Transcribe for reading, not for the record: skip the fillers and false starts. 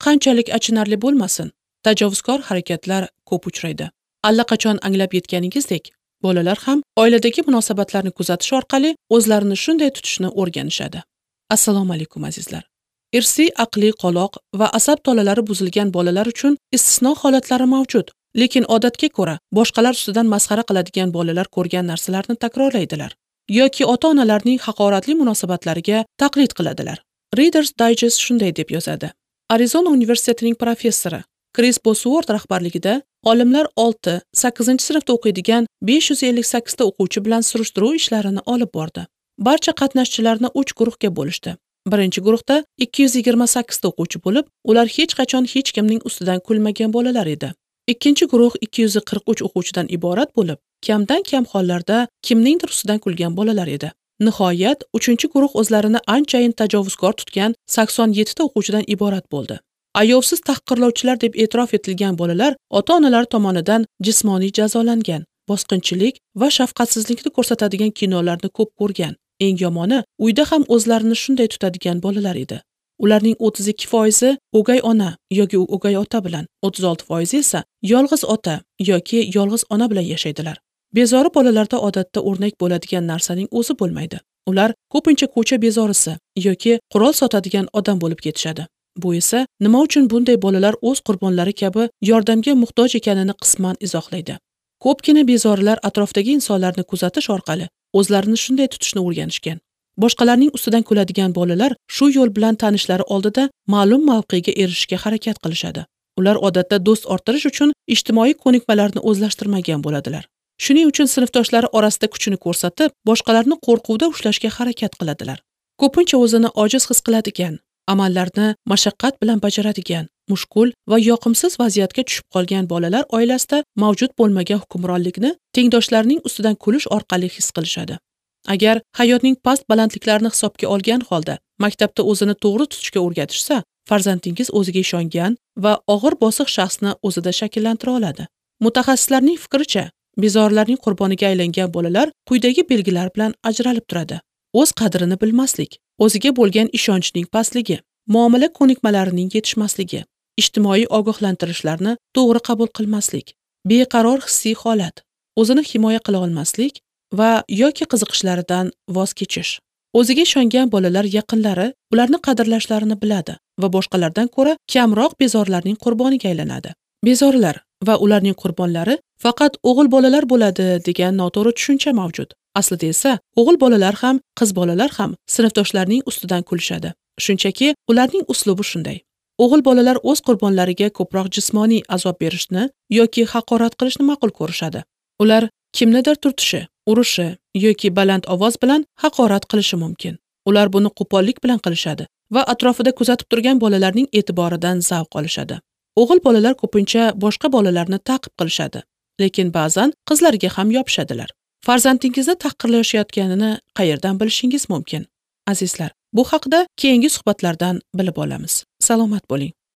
qanchalik achinarli bo'lmasin, tajovuzkor harakatlar ko'p uchraydi. Allaqachon anglab yetganingizdek, bolalar ham oiladagi munosabatlarni kuzatish orqali o'zlarini shunday tutishni o'rganishadi. Assalomu alaykum azizlar. Irsiy, aqliy qoloq va asab tolalari buzilgan bolalar uchun istisno holatlari mavjud, lekin odatga ko'ra boshqalar ustidan masxara qiladigan bolalar ko'rgan narsalarni takrorlaydilar yoki ota-onalarning haqoratli munosabatlariga taqlid qiladilar. Reader's Digest shunday deb yozadi. Arizona universitetining professori Kris Bosworth rahbarligida olimlar 6-8 sinfda o'qiydigan 558 ta o'quvchi bilan surishtiruv ishlarini olib bordi. Barcha qatnashchilarni 3 guruhga bo'lishdi. Birinchi guruhda 228 ta o'quvchi bo'lib, ular hech qachon hech kimning ustidan kulmagan bolalar edi. Ikkinchi guruh 243 o'quvchidan iborat bo'lib, kamdan kam hollarda kimningdir ustidan kulgan bolalar edi. Nihoyat, uchinchi guruh o'zlarini anchayin tajovuzkor tutgan 87 ta o'quvchidan iborat bo'ldi. Ayovsiz tahqirlovchilar deb e'tirof etilgan bolalar ota-onalari tomonidan jismoniy jazolangan, bosqinchilik va shafqatsizlikni ko'rsatadigan kinolarni ko'p ko'rgan. Eng yomoni, uyda ham o'zlarini shunday tutadigan bolalar edi. Ularning 32% o'gay ona yoki o'gay ota bilan, 36% esa yolg'iz ota yoki yolg'iz ona bilan yashaydilar. Bezori bolalarda odatda o'rnak bo'ladigan narsaning o'zi bo'lmaydi. Ular ko'pincha ko'cha bezorisi yoki qurol sotadigan odam bo'lib ketishadi. Bu esa nima uchun bunday bolalar o'z qurbonlari kabi yordamga muhtoj ekanini qisman izohlaydi. Ko'pgina bezorilar atrofdagi insonlarni kuzatish orqali o'zlarini shunday tutishni o'rganishgan. Boshqalarning ustidan kuladigan bolalar shu yo'l bilan tanishlari oldida ma'lum mavqega erishishga harakat qilishadi. Ular odatda do'st orttirish uchun ijtimoiy ko'nikmalarni o'zlashtirmagan bo'ladilar. Shuning uchun sinfdoshlari orasida kuchini ko'rsatib, boshqalarni qo'rquvda ushlashga harakat qiladilar. Ko'pincha o'zini ojiz his qiladigan, amallarni mashaqqat bilan bajaradigan, mushkul va yoqimsiz vaziyatga tushib qolgan bolalar oilasida mavjud bo'lmagan hukmronlikni tengdoshlarining ustidan kulish orqali his qilishadi. Agar hayotning past balandliklarini hisobga olgan holda maktabda o'zini to'g'ri tutishga o'rgatishsa, farzandingiz o'ziga ishongan va og'ir bosiq shaxsni o'zida shakllantira oladi. Mutaxassislarning fikricha, bezorilarning qurboniga aylangan bolalar quyidagi belgilar bilan ajralib turadi: o'z qadrini bilmaslik, o'ziga bo'lgan ishonchning pastligi, muomala ko'nikmalarining yetishmasligi, ijtimoiy ogohlantirishlarni to'g'ri qabul qilmaslik, beqaror hissiy holat, o'zini himoya qila olmaslik va yoki qiziqishlaridan voz kechish. O'ziga ishongan bolalar yaqinlari ularni qadrlashlarini biladi va boshqalardan ko'ra kamroq bezorilarning qurboniga aylanadi. Bezorilar va ularning qurbonlari faqat o'g'il bolalar bo'ladi degan noto'g'ri tushuncha mavjud. Aslida esa o'g'il bolalar ham, qiz bolalar ham sinfdoshlarining ustidan kulishadi. Shunchaki ularning uslubi shunday. O'g'il bolalar o'z qurbonlariga ko'proq jismoniy azob berishni yoki haqorat qilishni ma'qul ko'rishadi. Ular kimnidir turtishi, urishi yoki baland ovoz bilan haqorat qilishi mumkin. Ular buni qo'pollik bilan qilishadi va atrofida kuzatib turgan bolalarning e'tiboridan zavq olishadi. O'g'il bolalar ko'pincha boshqa bolalarni ta'qib qilishadi, lekin ba'zan qizlarga ham yopishadilar. Farzandingizni tahqirlashayotganini qayerdan bilishingiz mumkin? Azizlar, bu haqida keyingi suhbatlardan bilib olamiz. Salomat bo'ling.